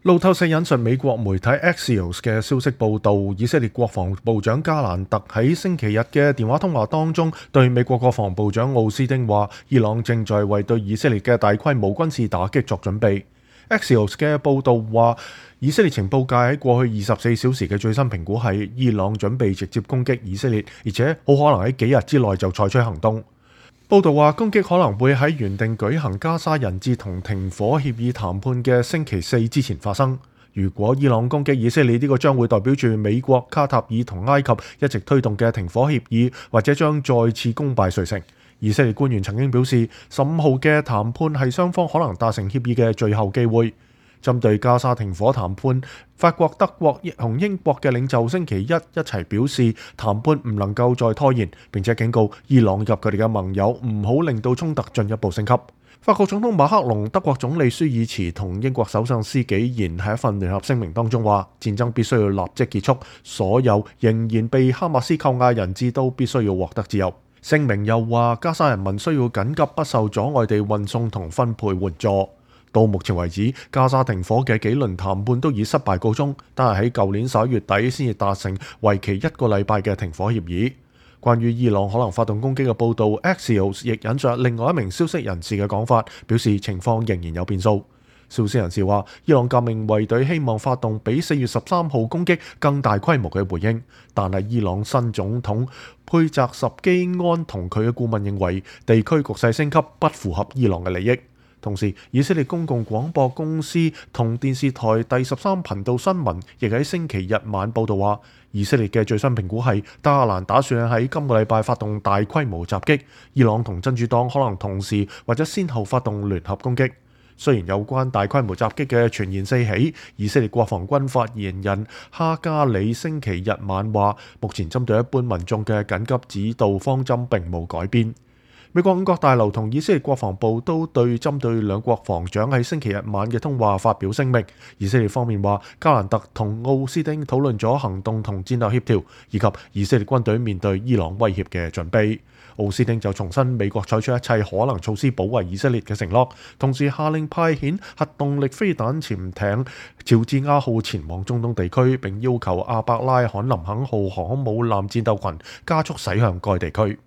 路透社引述美國媒體 Axios 嘅消息報導，以色列國防部長加蘭特喺星期日嘅電話通話當中，對美國國防部長奧斯汀話：伊朗正在為對以色列嘅大規模軍事打擊作準備。Axios 嘅報導話，以色列情報界喺過去24小時嘅最新評估係，伊朗準備直接攻擊以色列，而且好可能喺幾日之內就採取行動。報道話，攻擊可能會喺原定舉行加沙人質同停火協議談判嘅星期四之前發生。如果伊朗攻擊以色列，呢個將會代表住美國、卡塔爾同埃及一直推動嘅停火協議，或者將再次功敗垂成。以色列官員曾經表示，15號嘅談判係雙方可能達成協議嘅最後機會。針對加沙停火談判，法國、德國同英國嘅領袖星期一齊表示，談判唔能夠再拖延，並且警告伊朗及佢哋嘅盟友唔好令到衝突進一步升級。法國總統馬克龍、德國總理舒爾茨同英國首相施紀賢喺一份聯合聲明當中話，戰爭必須要立即結束，所有仍然被哈馬斯扣押人質都必須要獲得自由。聲明又話，加沙人民需要緊急不受阻礙地運送同分配援助。到目前為止，加沙停火嘅幾輪談判都以失敗告終，但係喺舊年11月底先至達成為期1個禮拜嘅停火協議。關於伊朗可能發動攻擊嘅報導 ，Axios 亦引述另外一名消息人士嘅講法，表示情況仍然有變數。消息人士話，伊朗革命衛隊希望發動比4月13號攻擊更大規模嘅回應，但係伊朗新總統佩澤什基安同佢嘅顧問認為，地區局勢升級不符合伊朗嘅利益。同時，以色列公共廣播公司同電視台第13頻道新聞亦喺星期日晚報導話，以色列嘅最新評估係加蘭打算喺今個禮拜發動大規模襲擊，伊朗同真主黨可能同時或者先後發動聯合攻擊。雖然有關大規模襲擊嘅傳言四起，以色列國防軍發言人哈加里星期日晚話，目前針對一般民眾嘅緊急指導方針並冇改變。美國五角大樓同以色列國防部都對針對兩國防長喺星期日晚嘅通話發表聲明。以色列方面話，加蘭特同奧斯汀討論咗行動同戰略協調，以及以色列軍隊面對伊朗威脅嘅準備。奧斯汀就重申美國採取一切可能措施保衛以色列嘅承諾，同時下令派遣核動力飛彈潛艇喬治亞號前往中東地區，並要求阿伯拉罕林肯號航空母艦戰鬥群加速駛向該地區。